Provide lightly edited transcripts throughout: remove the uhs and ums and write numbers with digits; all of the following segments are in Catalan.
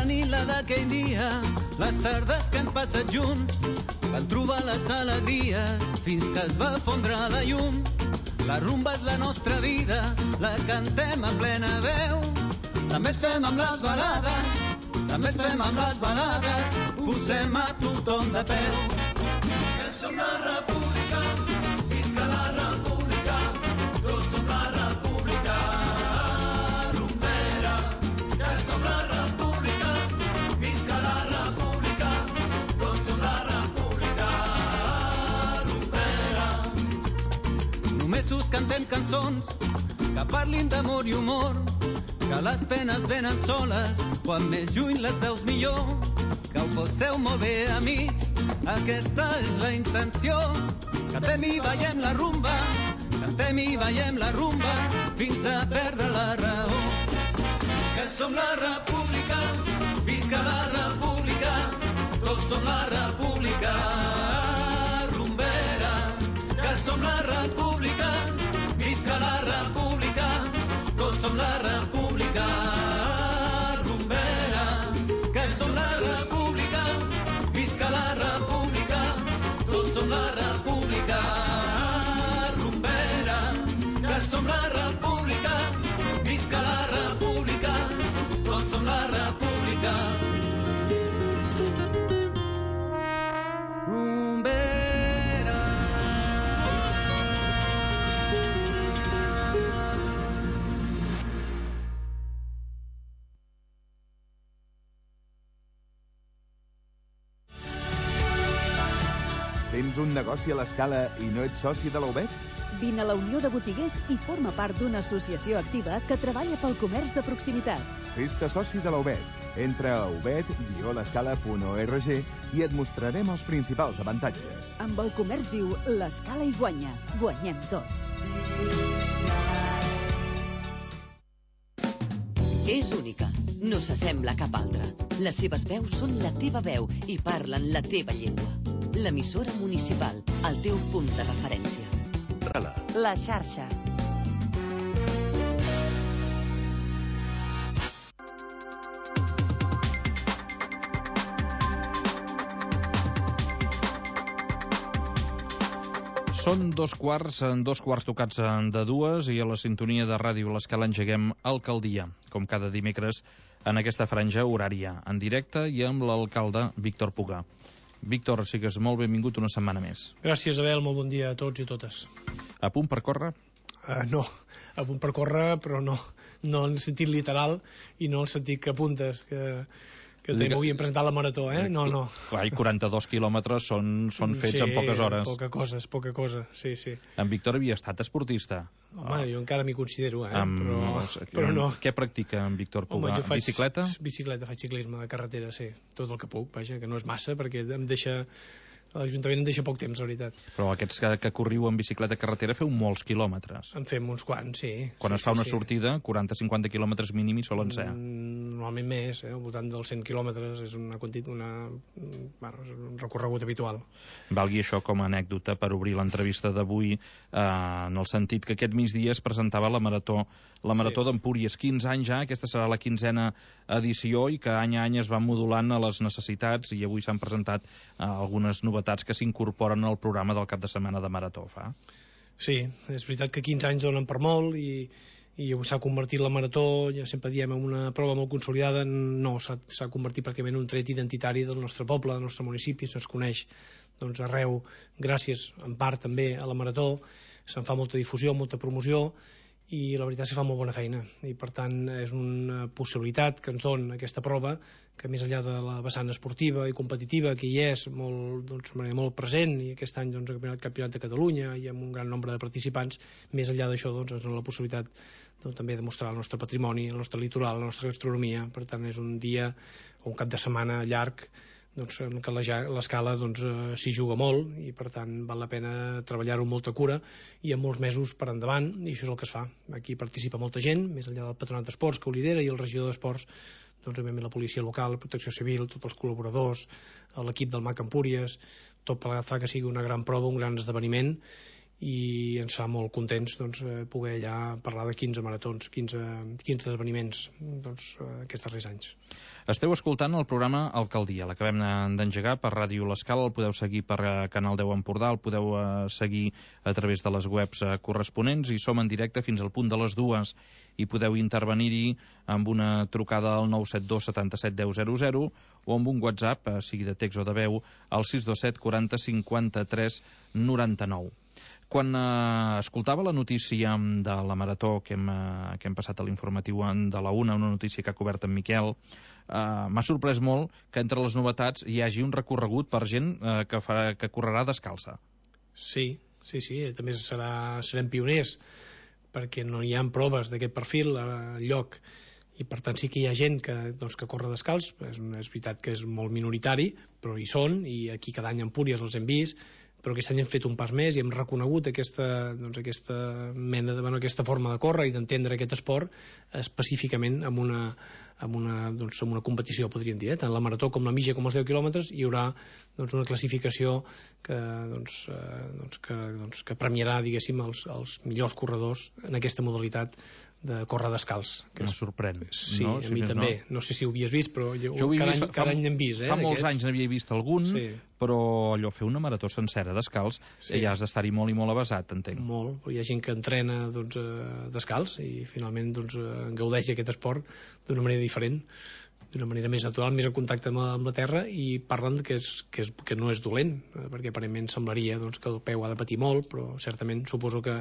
Aquella nit, la d'aquell dia, les tardes que hem passat junts, van trobar les alegries fins que es va fondre la llum. La rumba és la nostra vida, la cantem a plena veu. També ens fem amb les balades, també ens fem amb les balades, posem a tothom de peu. Que som la república, visca la república, tots som la república rumbera. Que som la república, visca la república, tots som la república rumbera. Només us cantem cançons que parlin d'amor i humor, que les penes venen soles, quan més lluny les veus millor. Que ho passeu molt bé, amics, aquesta és la intenció. Cantem i ballem la rumba, cantem i ballem la rumba, fins a perdre la raó. Que som la república, visca la república, tots som la república rumbera. Que som la república, visca la república, tots som la república rumbera. Que som la república, visca la república, tots som la república rumbera. Que som la república, visca la república, tots som la república rumbera. Tens un negoci a l'Escala i no ets soci de la UBET? Vine a la Unió de Botiguers i forma part d'una associació activa que treballa pel comerç de proximitat. Fes-te soci de la UBET. Entra a ubet-l'escala.org i et mostrarem els principals avantatges. Amb el comerç viu, l'Escala hi guanya. Guanyem tots. És única, no s'assembla a cap altra. Les seves veus són la teva veu i parlen la teva llengua. L'emissora municipal, el teu punt de referència. La xarxa. Són dos quarts tocats de dues, i a la sintonia de Ràdio l'Escala engeguem Alcaldia, com cada dimecres en aquesta franja horària, en directe i amb l'alcalde Víctor Puga. Víctor, sigues molt benvingut una setmana més. Gràcies, Abel, molt bon dia a tots i totes. A punt per córrer? No, a punt per córrer, però no en el sentit literal i no en el sentit que apuntes, que també m'havien presentat la marató, No. Clar, i 42 quilòmetres són fets en poques hores. Sí, poca cosa, sí. En Víctor havia estat esportista. Home, jo encara m'hi considero, però no. Què practica en Víctor Puga? Home, jo faig bicicleta? Bicicleta, faig ciclisme de carretera, sí. Tot el que puc, vaja, que no és massa, perquè l'Ajuntament em deixa poc temps, la veritat. Però aquests que corriu en bicicleta carretera feu molts quilòmetres. En fem uns quants, sí. Quan es fa una sortida, 40-50 quilòmetres mínim hi solen ser. Normalment més, al voltant dels 100 quilòmetres és un recorregut habitual. Valgui això com a anècdota per obrir l'entrevista d'avui, en el sentit que aquest migdia es presentava la marató d'Empúries. 15 anys ja, aquesta serà la 15a edició, i que any a any es va modulant a les necessitats, i avui s'han presentat algunes novetats que s'incorporen al programa del cap de setmana de marató. Sí, és veritat que 15 anys donen per molt, i s'ha convertit la marató, ja sempre diem, en una prova molt consolidada. No, s'ha convertit pràcticament en un tret identitari del nostre poble, del nostre municipi. Se'ns coneix arreu, gràcies en part també a la marató. Se'n fa molta difusió, molta promoció, i la veritat és que fa molt bona feina, i per tant és una possibilitat que ens dona aquesta prova, que més enllà de la vessant esportiva i competitiva, que hi és molt present, i aquest any el Campionat de Catalunya i amb un gran nombre de participants, més enllà d'això ens dona la possibilitat també de mostrar el nostre patrimoni, el nostre litoral, la nostra gastronomia. Per tant és un dia o un cap de setmana llarg en què l'Escala s'hi juga molt, i per tant val la pena treballar-ho amb molta cura i amb molts mesos per endavant, i això és el que es fa. Aquí participa molta gent, més enllà del Patronat d'Esports, que ho lidera, i el regidor d'Esports, la policia local, la protecció civil, tots els col·laboradors, l'equip del MAC Empúries. Tot plegat fa que sigui una gran prova, un gran esdeveniment, i ens fa molt contents poder ja parlar de 15 maratons, 15 esdeveniments aquests darrers anys. Esteu escoltant el programa Alcaldia, l'acabem d'engegar per Ràdio L'Escala, el podeu seguir per Canal 10 Empordà, el podeu seguir a través de les webs corresponents, i som en directe fins al punt de les 2, i podeu intervenir-hi amb una trucada al 972 77 10 00 o amb un WhatsApp, sigui de text o de veu, al 627 40 53 99. Quan escoltava la notícia de la marató que hem passat a l'informatiu de la 1, una notícia que ha cobert en Miquel, m'ha sorprès molt que entre les novetats hi hagi un recorregut per gent que correrà descalça. Sí, també serem pioners, perquè no hi ha proves d'aquest perfil al lloc, i per tant sí que hi ha gent que corre descalç. És veritat que és molt minoritari, però hi són, i aquí cada any a Empúries els hem vist, però aquest any hem fet un pas més i hem reconegut aquesta forma de córrer i d'entendre aquest esport específicament amb una competició, podríem dir. Tant la marató com la mitja com els 10 quilòmetres hi haurà una classificació que premiarà, diguéssim, els millors corredors en aquesta modalitat de córrer descalç. Em sorprèn. Sí, a mi també. No sé si ho havies vist, però cada any n'hem vist. Fa molts anys n'havia vist algun, però allò, fer una marató sencera descalç, ja has d'estar-hi molt i molt avesat, entenc. Molt, però hi ha gent que entrena descalç i finalment gaudeix d'aquest esport d'una manera diferent, d'una manera més natural, més en contacte amb la terra, i parlen que no és dolent, perquè aparentment semblaria que el peu ha de patir molt, però certament suposo que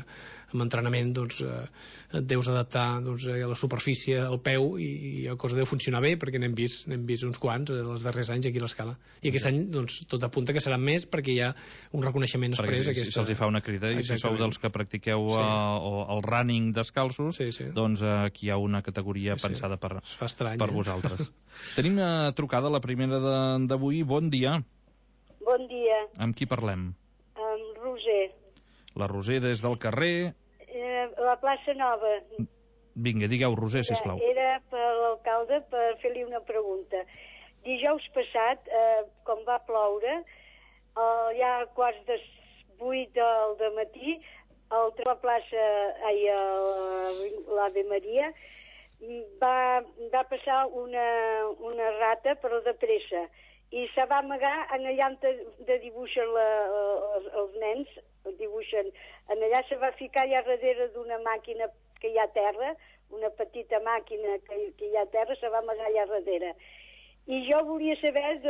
amb entrenament et deus adaptar a la superfície, al peu, i la cosa deu funcionar bé, perquè n'hem vist uns quants els darrers anys aquí a l'Escala, i aquest any tot apunta que seran més, perquè hi ha un reconeixement exprés. Si se'ls fa una crida, i si sou dels que practiqueu el running descalços, doncs aquí hi ha una categoria pensada per vosaltres. Tenim una trucada, la primera d'avui. Bon dia. Bon dia. Amb qui parlem? Amb Roser. La Roser des del carrer... La plaça Nova. Vinga, digueu, Roser, sisplau. Era per l'alcalde per fer-li una pregunta. Dijous passat, com va ploure, ja a quarts de 8 del matí, la plaça, l'Ave Maria, va passar una rata, però de pressa, i se va amagar en allà on dibuixen els nens, dibuixen, en allà se va ficar allà darrere d'una màquina que hi ha a terra, una petita màquina que hi ha a terra, se va amagar allà darrere. I jo volia saber,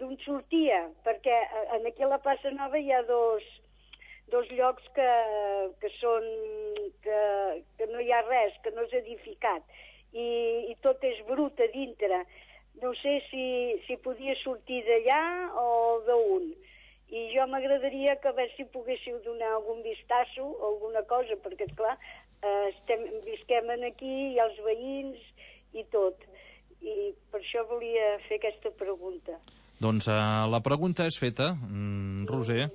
d'on sortia, perquè aquí a la plaça Nova hi ha dos llocs que no hi ha res, que no és edificat, i tot és brut a dintre. No sé si podia sortir d'allà o d'on. I jo m'agradaria que a veure si poguéssiu donar algun vistasso o alguna cosa, perquè, esclar, visquem aquí, hi ha els veïns i tot. I per això volia fer aquesta pregunta. Doncs la pregunta és feta, Roser.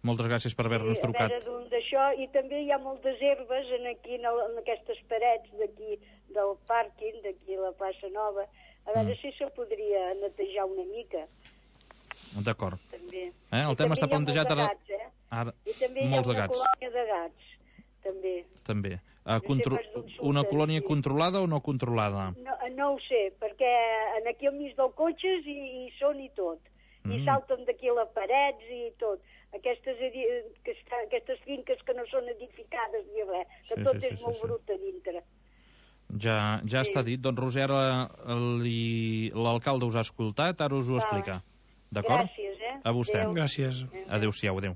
Moltes gràcies per haver-nos trucat. A veure d'això, i també hi ha moltes herbes aquí en aquestes parets d'aquí, del pàrquing, d'aquí a la plaça Nova. A veure si se podria netejar una mica. D'acord. També. El tema està plantejat ara... I també hi ha una colònia de gats, també. Una colònia controlada o no controlada? No ho sé, perquè aquí al mig dels cotxes hi són i tot. I salten d'aquí a les parets i tot. Aquestes finques que no són edificades ni res, que tot és molt brut a dintre. Ja està dit. Doncs, Roser, l'alcalde us ha escoltat, ara us ho explica. D'acord? Gràcies, A vostè. Gràcies. Adéu-siau, adéu.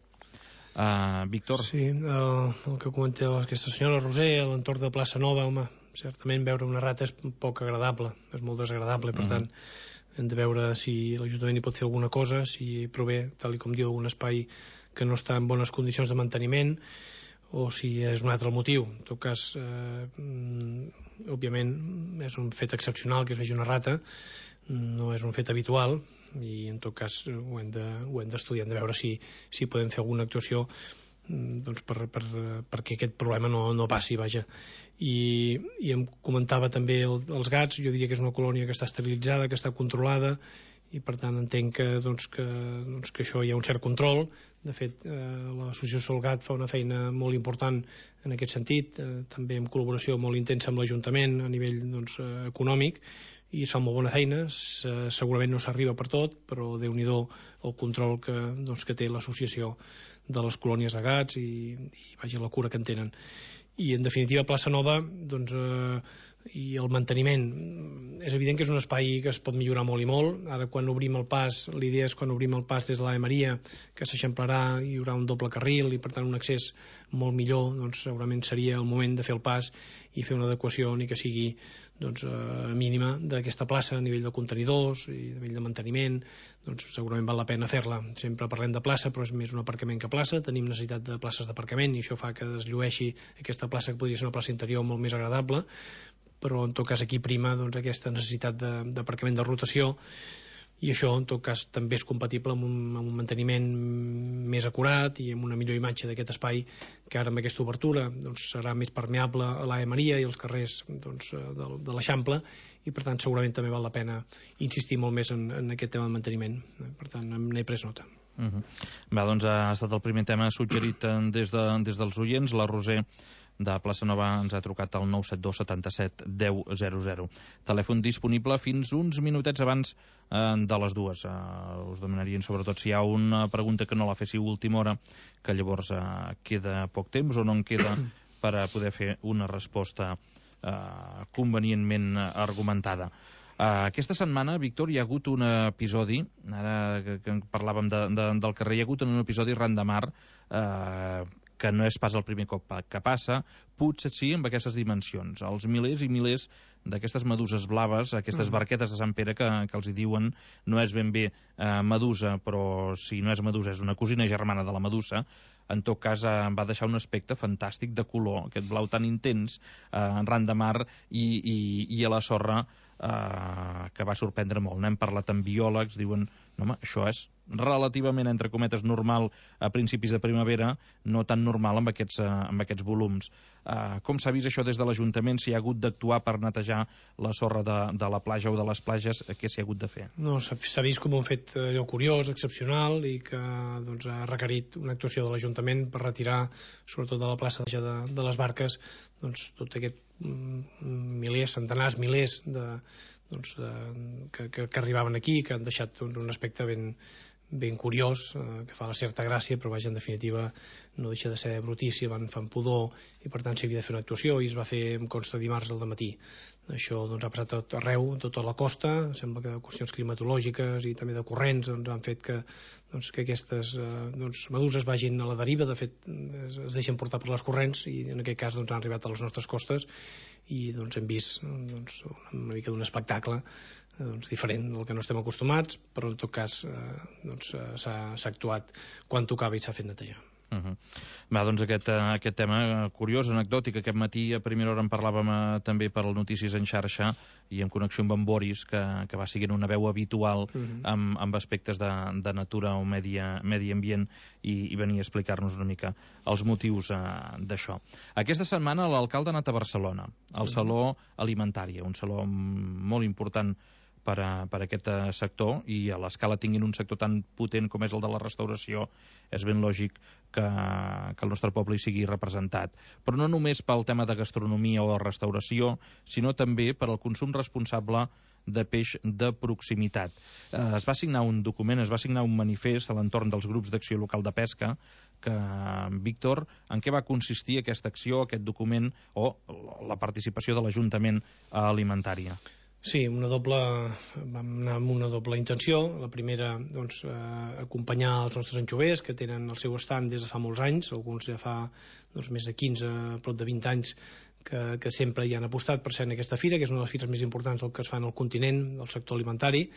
Víctor? Sí, el que comenta aquesta senyora Roser, a l'entorn de plaça Nova, home, certament veure una rata és poc agradable, és molt desagradable, per tant hem de veure si l'Ajuntament hi pot fer alguna cosa, si prové, tal com diu, algun espai que no està en bones condicions de manteniment, o si és un altre motiu. En tot cas, òbviament, és un fet excepcional que es vegi una rata, no és un fet habitual, i en tot cas ho hem d'estudiar, hem de veure si podem fer alguna actuació perquè aquest problema no passi, vaja. I em comentava també els gats, jo diria que és una colònia que està esterilitzada, que està controlada, i per tant entenc que això hi ha un cert control. De fet, l'associació Solgat fa una feina molt important en aquest sentit, també en col·laboració molt intensa amb l'Ajuntament a nivell econòmic, i es fa molt bona feina. Segurament no s'arriba per tot, però Déu-n'hi-do el control que té l'associació de les colònies de gats i vaja, la cura que en tenen. I en definitiva Plaça Nova i el manteniment, és evident que és un espai que es pot millorar molt i molt. Ara quan obrim el pas, l'idea és quan obrim el pas des de l'Ave Maria, que s'eixamplarà, hi haurà un doble carril i per tant un accés molt millor, segurament seria el moment de fer el pas i fer una adequació ni que sigui mínima d'aquesta plaça a nivell de contenidors i a nivell de manteniment. Segurament val la pena fer-la. Sempre parlem de plaça, però és més un aparcament que plaça. Tenim necessitat de places d'aparcament i això fa que es llueixi aquesta plaça, que podria ser una plaça interior molt més agradable, però en tot cas aquí prima aquesta necessitat d'aparcament de rotació, i això en tot cas també és compatible amb un manteniment més acurat i amb una millor imatge d'aquest espai, que ara amb aquesta obertura serà més permeable a l'Ave Maria i als carrers de l'Eixample, i per tant segurament també val la pena insistir molt més en aquest tema de manteniment. Per tant n'he pres nota. Va, doncs ha estat el primer tema suggerit des dels oients. La Roser de Plaça Nova ens ha trucat al 972 77 10 00. Telèfon disponible fins uns minutets abans de les 2. Us demanarien sobretot si hi ha una pregunta que no la féssiu a última hora, que llavors queda poc temps o no en queda per a poder fer una resposta convenientment argumentada. Aquesta setmana, Víctor, hi ha hagut un episodi, ara que parlàvem del carrer, hi ha hagut un episodi ran de mar que no és pas el primer cop que passa, potser sí amb aquestes dimensions. Els milers i milers d'aquestes meduses blaves, aquestes barquetes de Sant Pere que els hi diuen, no és ben bé medusa, però si no és medusa és una cosina germana de la medusa. En tot cas va deixar un aspecte fantàstic de color, aquest blau tan intens ran de mar i a la sorra, que va sorprendre molt. N'hem parlat amb biòlegs, diuen, no, home, això és relativament, entre cometes, normal a principis de primavera, no tan normal amb aquests volums. Com s'ha vist això des de l'Ajuntament? Si ha hagut d'actuar per netejar la sorra de la platja o de les platges, què s'hi ha hagut de fer? No, s'ha vist com un fet allò curiós, excepcional, i que ha requerit una actuació de l'Ajuntament per retirar, sobretot de la plaça de les barques, tot aquest milers, centenars, milers que arribaven aquí, que han deixat un aspecte ben curiós, que fa la certa gràcia, però vaja, en definitiva no deixa de ser brutícia, fan pudor, i per tant s'havia de fer una actuació, i es va fer, em consta, dimarts al dematí. Això ha passat tot arreu, tota la costa. Sembla que qüestions climatològiques i també de corrents han fet que aquestes meduses vagin a la deriva. De fet, es deixen portar per les corrents, i en aquest cas han arribat a les nostres costes, i hem vist una mica d'un espectacle diferent del que no estem acostumats, però en tot cas s'ha actuat quan tocava i s'ha fet netejar. Va, doncs aquest tema curiós, anecdòtic. Aquest matí a primera hora en parlàvem també per al Notícies en xarxa i en connexió amb en Boris, que va siguent una veu habitual amb aspectes de natura o medi ambient, i venia a explicar-nos una mica els motius d'això. Aquesta setmana l'alcalde ha anat a Barcelona, al Saló Alimentària, un saló molt important per a aquest sector, i a l'escala tinguin un sector tan potent com és el de la restauració, és ben lògic que el nostre poble hi sigui representat. Però no només pel tema de gastronomia o restauració, sinó també per al consum responsable de peix de proximitat. Es va signar un document, es va signar un manifest a l'entorn dels grups d'acció local de pesca, que, Víctor, en què va consistir aquesta acció, aquest document, o la participació de l'Ajuntament alimentària? Sí, vam anar amb una doble intenció. La primera, acompanyar els nostres anxovers, que tenen el seu estand des de fa molts anys, alguns ja fa més de 15, prop de 20 anys, que sempre hi han apostat per ser en aquesta fira, que és una de les fires més importants del que es fa en el continent, del sector alimentari,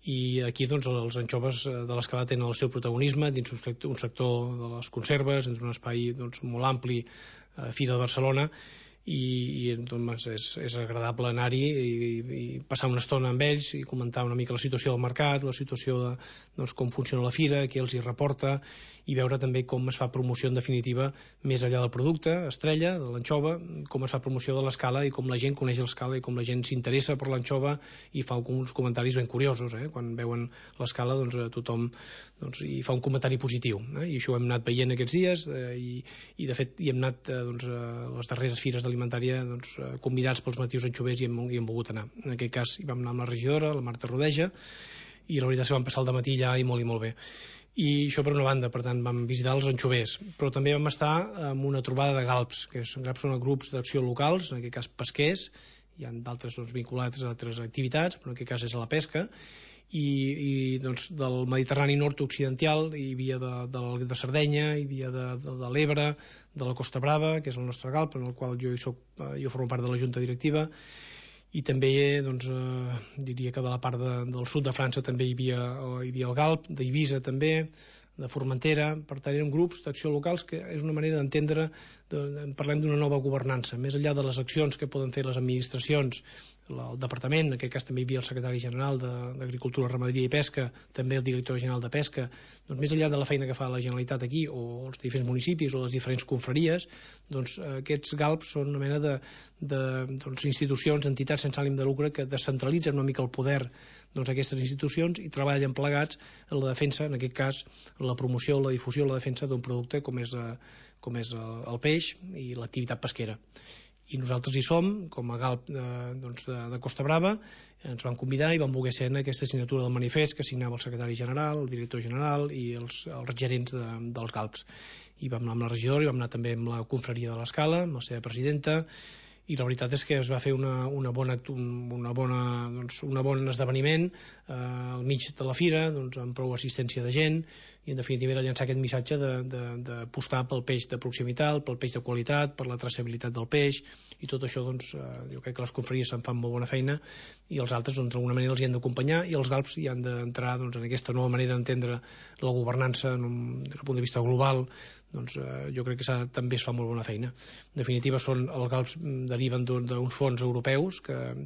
i aquí els anxoves de l'escala tenen el seu protagonisme dins un sector de les conserves, dins un espai molt ampli, Fira de Barcelona, i doncs és agradable anar-hi i passar una estona amb ells i comentar una mica la situació del mercat, la situació de doncs, com funciona la fira, què els hi reporta, i veure també com es fa promoció en definitiva més enllà del producte estrella, de l'anxova, com es fa promoció de l'escala i com la gent coneix l'escala i com la gent s'interessa per l'anxova i fa uns comentaris ben curiosos, quan veuen l'escala doncs tothom hi fa un comentari positiu, i això ho hem anat veient aquests dies i de fet hi hem anat doncs, a les darreres fires d'alimentària doncs, convidats pels motius anxovers i hem volgut anar. En aquest cas hi vam anar amb la regidora, la Marta Rodeja, i la veritat és que vam passar el dematí allà i molt bé. I això per una banda, per tant vam visitar els anxovers, però també vam estar en una trobada de galps, que són grups d'acció locals, en aquest cas pesquers, hi ha d'altres doncs, vinculats a altres activitats, però en aquest cas és la pesca, i doncs, del Mediterrani nord-occidental hi havia de Sardenya, hi havia de l'Ebre, de la Costa Brava, que és el nostre galp, en el qual jo formo part de la junta directiva, i també doncs, diria que de la part del sud de França també hi havia el galp, d'Eivissa també, de Formentera. Per tant eren grups d'acció locals que és una manera d'entendre, parlem d'una nova governança, més enllà de les accions que poden fer les administracions, el departament, en aquest cas també hi havia el secretari general d'Agricultura, Ramaderia i Pesca, també el director general de Pesca, doncs més enllà de la feina que fa la Generalitat aquí o els diferents municipis o les diferents confraries, doncs aquests galps són una mena de institucions, entitats sense ànim de lucre que descentralitzen una mica el poder d'aquestes institucions i treballen plegats en la defensa, en aquest cas en la promoció, la difusió, la defensa d'un producte com és el peix i l'activitat pesquera. I nosaltres hi som, com a galp de Costa Brava, ens van convidar i van voler ser en aquesta signatura del manifest que signava el secretari general, el director general i els gerents dels galps. I vam anar amb la regidora i vam anar també amb la confraria de l'Escala, amb la seva presidenta, i la veritat és que es va fer un bon esdeveniment al mig de la fira, doncs, amb prou assistència de gent, i en definitiva era llançar aquest missatge d'apostar pel peix de proximitat, pel peix de qualitat, per la traçabilitat del peix, i tot això doncs, jo crec que les confraries se'n fan molt bona feina i els altres doncs, d'alguna manera els hi han d'acompanyar i els galps hi han d'entrar doncs, en aquesta nova manera d'entendre la governança des del punt de vista global. Doncs, jo crec que també es fa molt bona feina. En definitiva, els galps deriven d'uns fons europeus que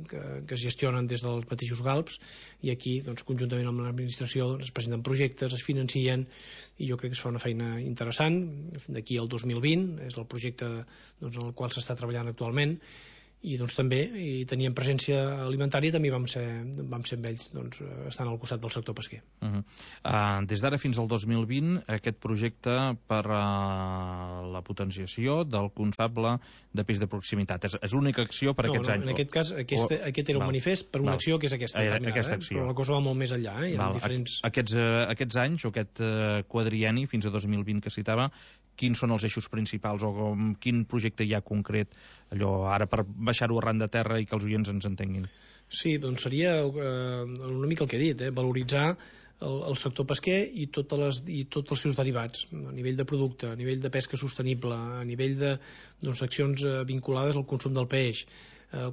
es gestionen des dels mateixos galps i aquí, doncs, conjuntament amb l'administració, es presenten projectes, es financien i jo crec que es fa una feina interessant. D'aquí al 2020 és el projecte en el qual s'està treballant actualment i doncs també teníem presència alimentària i també vam ser amb ells estant al costat del sector pesquer. Des d'ara fins al 2020 aquest projecte per la potenciació del consable de peix de proximitat és l'única acció per aquests anys? En aquest cas aquest era un manifest per una acció que és aquesta acció. Però la cosa va molt més enllà. Aquests anys o aquest quadrienni fins a 2020 que citava, quins són els eixos principals o quin projecte hi ha concret allò ara per baixar-ho arran de terra i que els oients ens entenguin? Sí, doncs seria una mica el que he dit, valoritzar el sector pesquer i tots els seus derivats, a nivell de producte, a nivell de pesca sostenible, a nivell d'accions vinculades al consum del peix,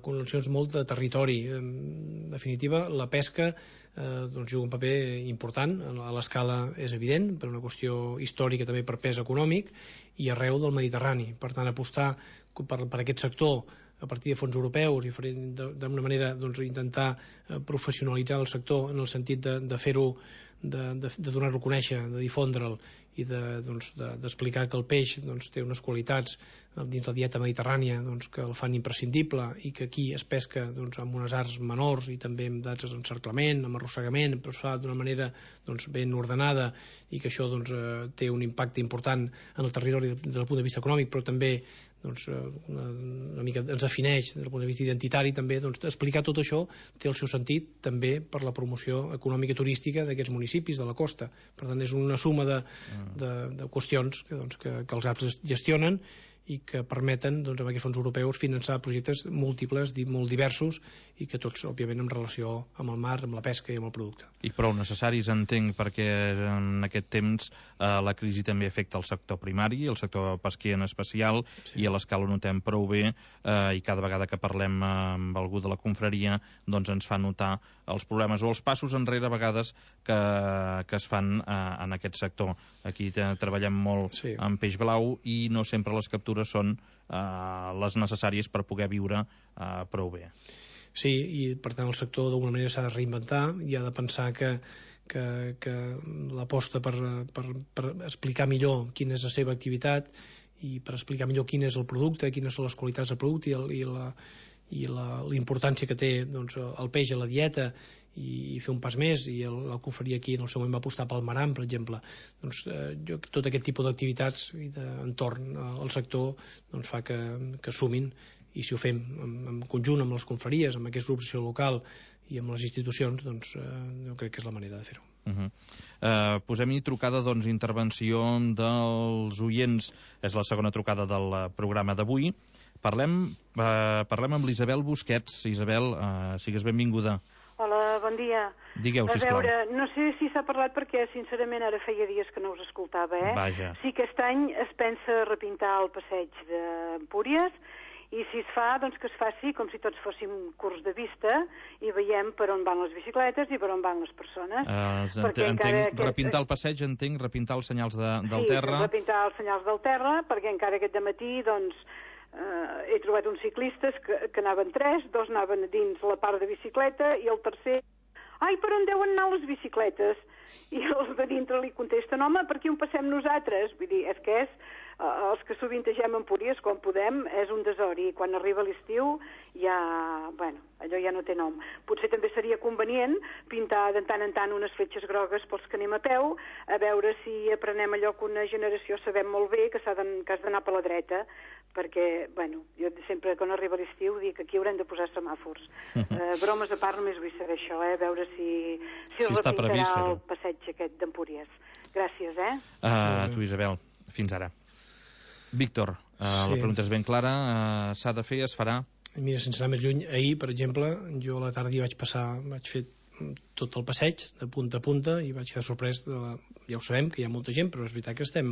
connexions molt de territori. En definitiva, la pesca juga un paper important, a l'escala és evident, per una qüestió històrica també per pes econòmic, i arreu del Mediterrani. Per tant, apostar per aquest sector a partir de fons europeus i d'una manera intentar professionalitzar el sector en el sentit de fer-ho, de donar-lo a conèixer, de difondre'l i d'explicar que el peix té unes qualitats dins la dieta mediterrània que el fan imprescindible i que aquí es pesca amb unes arts menors i també amb dats d'encerclament, amb arrossegament, però es fa d'una manera ben ordenada i que això té un impacte important en el territori des del punt de vista econòmic, però també una mica ens defineix des del punt de vista identitari també, explicar tot això té el seu sentit també per la promoció econòmica i turística d'aquests municipis de la costa. Per tant, és una suma de qüestions que els galps gestionen i que permeten amb aquests fons europeus finançar projectes múltiples, molt diversos i que tots, òbviament, en relació amb el mar, amb la pesca i amb el producte. I prou necessaris, entenc, perquè en aquest temps la crisi també afecta el sector primari, el sector pesquer en especial, sí. I a l'escala ho notem prou bé i cada vegada que parlem amb algú de la confraria ens fa notar els problemes o els passos enrere a vegades que es fan en aquest sector. Aquí treballem molt amb peix blau i no sempre les captures temperatures són les necessàries per poder viure prou bé. Sí, i per tant el sector d'alguna manera s'ha de reinventar i ha de pensar que l'aposta per explicar millor quina és la seva activitat i per explicar millor quin és el producte, quines són les qualitats del producte i la importància que té doncs, el peix a la dieta i fer un pas més, i el que oferia aquí en el seu moment va apostar pel maram, per exemple. Doncs, tot aquest tipus d'activitats i d'entorn al sector doncs, fa que sumin, i si ho fem en conjunt amb les confraries, amb aquests grups d'acció local i amb les institucions, doncs jo crec que és la manera de fer-ho. Posem-hi trucada, doncs, intervenció dels oients. És la segona trucada del programa d'avui. Parlem amb l'Isabel Busquets. Isabel, sigues benvinguda. Hola, bon dia. Digueu, sisplau. A veure, no sé si s'ha parlat perquè, sincerament, ara feia dies que no us escoltava, Vaja. Sí que aquest any es pensa repintar el passeig d'Empúries, i si es fa, doncs que es faci com si tots fóssim curs de vista i veiem per on van les bicicletes i per on van les persones. Repintar el passeig, repintar els senyals del terra. Sí, repintar els senyals del terra, perquè encara aquest dematí, doncs, he trobat uns ciclistes que anaven 3, 2 anaven dins la part de bicicleta i el tercer, ai, per on deuen anar les bicicletes? I els de dintre li contesten, home, per aquí on passem nosaltres? Vull dir, és que els que sovintegem Empúries, quan podem, és un desori. Quan arriba l'estiu, allò ja no té nom. Potser també seria convenient pintar de tant en tant unes fletxes grogues pels que anem a peu, a veure si aprenem allò que una generació sabem molt bé, que has d'anar per la dreta, perquè, jo sempre quan arriba l'estiu dic que aquí haurem de posar semàfors. Bromes a part, només vull saber això, a veure si es repintarà el passeig aquest d'Empúries. Gràcies, Tu, Isabel, fins ara. Víctor, la pregunta és ben clara, s'ha de fer, es farà? Mira, sense anar més lluny, ahir, per exemple, jo a la tarda vaig fer tot el passeig de punta a punta i vaig quedar sorprès ja ho sabem que hi ha molta gent, però és veritat que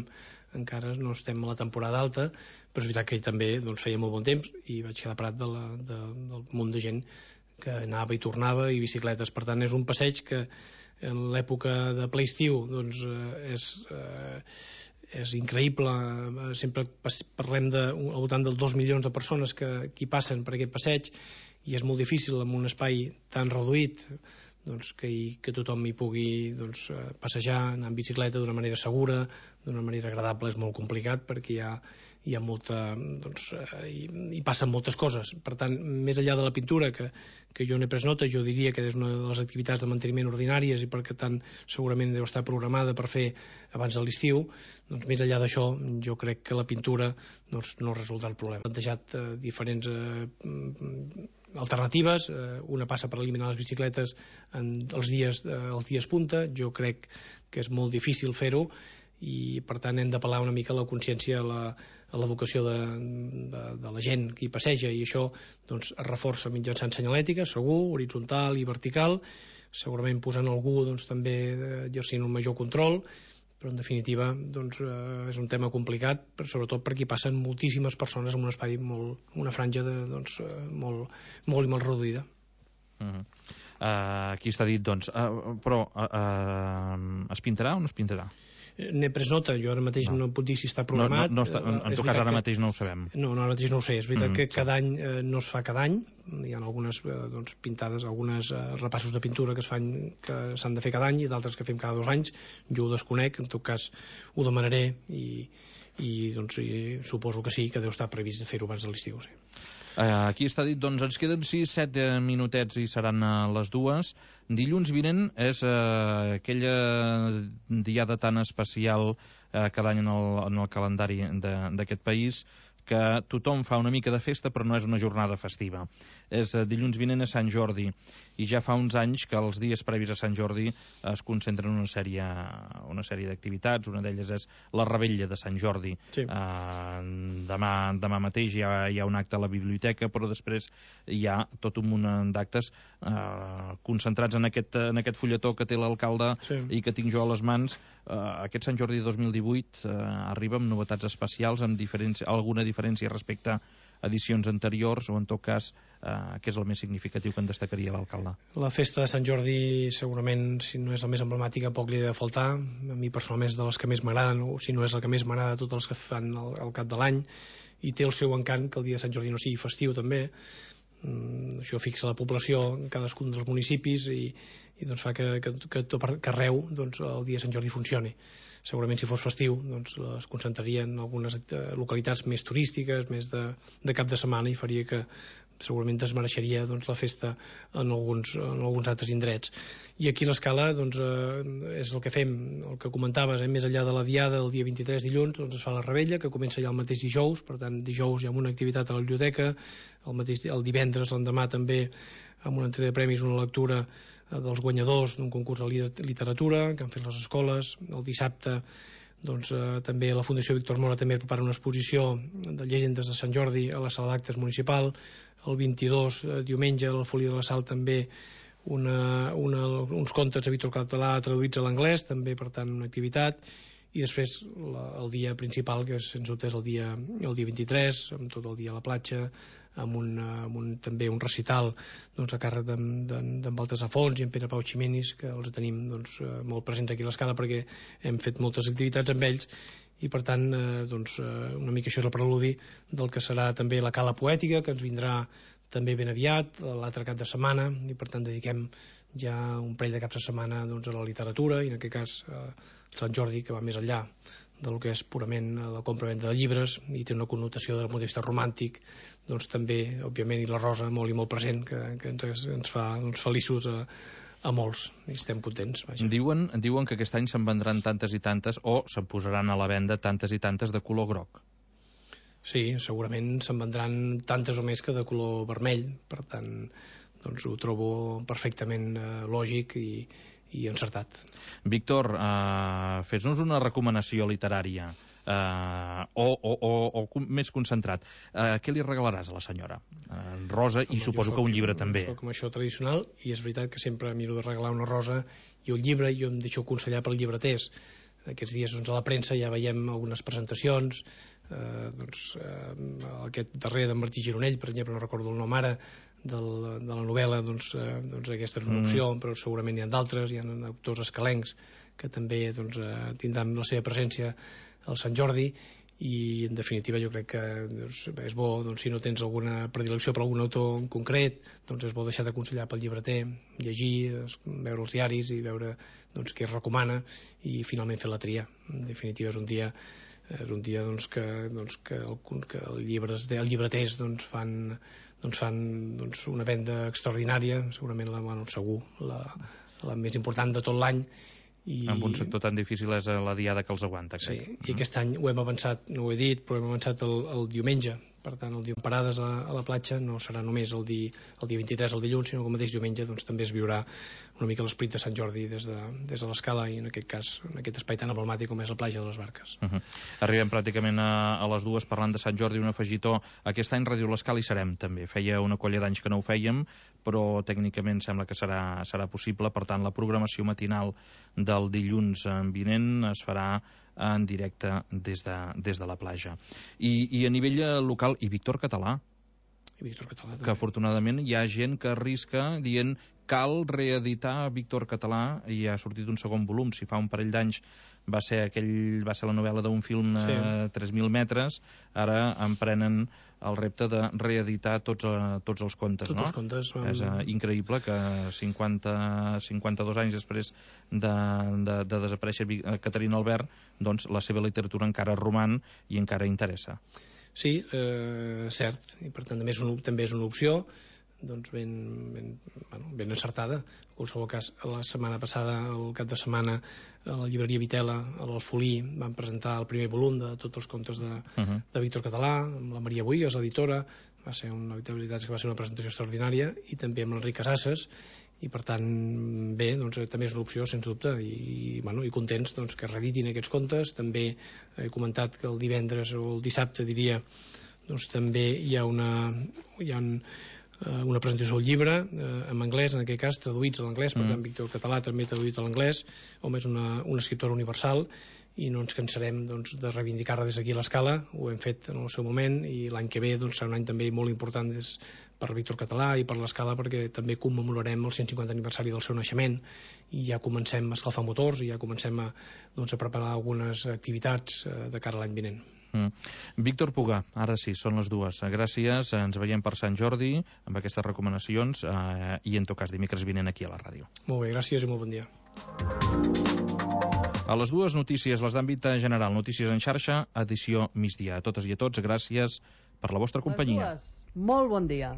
encara no estem a la temporada alta, però és veritat que també feia molt bon temps i vaig quedar parat del munt de gent que anava i tornava i bicicletes. Per tant, és un passeig que en l'època de ple estiu doncs és increïble. Sempre parlem al voltant dels 2 milions de persones que hi passen per aquest passeig i és molt difícil en un espai tan reduït que tothom hi pugui passejar, anar en bicicleta d'una manera segura, d'una manera agradable. És molt complicat perquè hi ha molta... hi passen moltes coses. Per tant, més enllà de la pintura, que jo n'he pres nota, jo diria que és una de les activitats de manteniment ordinàries i perquè tant segurament deu estar programada per fer abans de l'estiu, doncs més enllà d'això, jo crec que la pintura no resoldrà el problema. He plantejat diferents alternatives, una passa per eliminar les bicicletes els dies punta. Jo crec que és molt difícil fer-ho i per tant hem d'apel·lar una mica a la consciència, a l'educació de la gent que hi passeja, i això es reforça mitjançant senyalètica, segur, horitzontal i vertical, segurament posant algú també exercint un major control, però en definitiva és un tema complicat, sobretot perquè hi passen moltíssimes persones en un espai una franja molt i molt reduïda. Aquí està dit, però es pintarà o no es pintarà? N'he pres nota, jo ara mateix no puc dir si està programat. En tot cas, ara mateix no ho sabem. No, ara mateix no ho sé. És veritat que cada any no es fa cada any. Hi ha algunes pintades, algunes repassos de pintura que s'han de fer cada any i d'altres que fem cada 2 anys. Jo ho desconec, en tot cas ho demanaré i suposo que sí, que deu estar previst de fer-ho abans de l'estiu, sí. Aquí està dit, ens queden 6-7 minutets i seran les 2. Dilluns vinent és aquella diada tan especial cada any en el calendari d'aquest país, que tothom fa una mica de festa però no és una jornada festiva. Dilluns vinent és Sant Jordi, i ja fa uns anys que els dies previs a Sant Jordi es concentren en una sèrie d'activitats. Una d'elles és la Revetlla de Sant Jordi. Sí. Demà mateix hi ha un acte a la biblioteca, però després hi ha tot un munt d'actes concentrats en aquest fulletó que té l'alcalde, sí, i que tinc jo a les mans. Aquest Sant Jordi 2018 arriba amb novetats especials, amb alguna diferència respecte a edicions anteriors, o en tot cas què és el més significatiu que en destacaria l'alcalde? La festa de Sant Jordi segurament, si no és la més emblemàtica, poc li ha de faltar. A mi personalment és de les que més m'agraden, o si no és la que més m'agrada de tots els que fan al cap de l'any, i té el seu encant que el dia de Sant Jordi no sigui festiu també. Això fixa la població en cadascun dels municipis i doncs fa que arreu doncs, el dia de Sant Jordi funcioni. Segurament si fos festiu doncs, es concentraria en algunes localitats més turístiques, més de cap de setmana, i faria que segurament desmereixeria doncs, la festa en alguns altres indrets. I aquí l'escala doncs, és el que fem, el que comentaves, més enllà de la diada del dia 23 dilluns, doncs es fa la rebella, que comença ja el mateix dijous. Per tant, dijous hi ha una activitat a la biblioteca, el divendres, l'endemà també, amb una entrega de premis, una lectura dels guanyadors d'un concurs de literatura que han fet les escoles. El dissabte doncs, també la Fundació Víctor Mora també prepara una exposició de llegendes de Sant Jordi a la sala d'actes municipal. El 22, diumenge, a l'Alfolí de la Sal també uns contes de Víctor Català traduïts a l'anglès, també per tant una activitat. I després el dia principal, que sens dubte és el dia 23, amb tot el dia a la platja, amb també un recital doncs, a càrrec d'en Baltasar Fons i en Pere Pau Ximenis, que els tenim doncs, molt presents aquí a l'escala perquè hem fet moltes activitats amb ells, i per tant doncs, una mica això és el preludi del que serà també la Cala Poètica, que ens vindrà també ben aviat, l'altre cap de setmana, i per tant dediquem ja un parell de caps de setmana doncs, a la literatura, i en aquest cas Sant Jordi, que va més enllà del que és purament la compra-venda de llibres, i té una connotació del punt de vista romàntic, doncs també, òbviament, i la Rosa molt i molt present, que ens fa doncs, feliços a molts, i estem contents. Vaja. Diuen que aquest any se'n vendran tantes i tantes, o se'n posaran a la venda tantes i tantes de color groc. Sí, segurament se'n vendran tantes o més que de color vermell, per tant, doncs ho trobo perfectament lògic i encertat. Víctor, fes-nos una recomanació literària, o més concentrat. Què li regalaràs a la senyora? Rosa, i suposo que un llibre també. Soc com això tradicional, i és veritat que sempre miro de regalar una rosa i un llibre, i jo em deixo aconsellar per llibreters. Aquests dies doncs, a la premsa ja veiem algunes presentacions, aquest darrer d'en Martí Gironell, per exemple, no recordo el nom ara, de la novel·la, doncs aquesta és una opció, però segurament hi ha d'altres, hi ha autors escalencs que també doncs, tindran la seva presència al Sant Jordi, i en definitiva jo crec que doncs, és bo, doncs, si no tens alguna predilecció per algun autor en concret, doncs és bo deixar d'aconsellar pel llibreter, llegir, veure els diaris i veure doncs, què es recomana, i finalment fer la tria. En definitiva és un dia doncs, que els llibreters doncs, fan una venda extraordinària, segurament segur la més important de tot l'any. En un sector tan difícil és la diada que els aguanta. Sí, i aquest any ho hem avançat, no ho he dit, però hem avançat el diumenge. Per tant, el dia en parades a la platja no serà només el dia 23, el dilluns, sinó que el mateix diumenge doncs, també es viurà una mica l'esperit de Sant Jordi des de l'escala, i en aquest cas, en aquest espai tan emblemàtic com és la platja de les Barques. Arribem pràcticament a les dues parlant de Sant Jordi, un afegitó. Aquest any Ràdio l'Escala hi serem també. Feia una colla d'anys que no ho fèiem, però tècnicament sembla que serà possible. Per tant, la programació matinal del dilluns vinent es farà en directe des de la platja. I a nivell local, i Víctor Català, que afortunadament hi ha gent que arrisca dient cal reeditar Víctor Català, i ha sortit un segon volum. Si fa un parell d'anys va ser la novel·la d'un film 3.000 metres, ara emprenen el repte de reeditar tots els contes. Tots els contes. És increïble que 52 anys després de desaparèixer Caterina Albert, doncs la seva literatura encara roman i encara interessa. Sí, cert, i per tant també és una opció doncs ben encertada. En qualsevol cas, la setmana passada, el cap de setmana, a la llibreria Vitela, a l'Alfolí, van presentar el primer volum de tots els contes de Víctor Català, amb la Maria Boigues, l'editora. Va ser una presentació extraordinària, i també amb l'Enric Casasses, i per tant, bé, doncs, també és una opció, sens dubte, i contents doncs, que reeditin aquests contes. També he comentat que el divendres o el dissabte, diria, doncs també hi ha una presentació del llibre en anglès, en aquest cas traduïts a l'anglès, per tant Víctor Català també traduït a l'anglès. Home, és un escriptor universal, i no ens cansarem doncs, de reivindicar-la des d'aquí a l'Escala. Ho hem fet en el seu moment i l'any que ve doncs, serà un any també molt important per Víctor Català i per l'Escala, perquè també commemorarem el 150 aniversari del seu naixement i ja comencem a escalfar motors i ja comencem a preparar algunes activitats de cara a l'any vinent. Víctor Pugà, ara sí, són les 2. Gràcies, ens veiem per Sant Jordi amb aquestes recomanacions i en tot cas dimecres vinent aquí a la ràdio. Molt bé, gràcies i molt bon dia. A les 2 notícies, les d'àmbit general, notícies en xarxa, edició migdia. A totes i a tots, gràcies per la vostra companyia. Molt bon dia.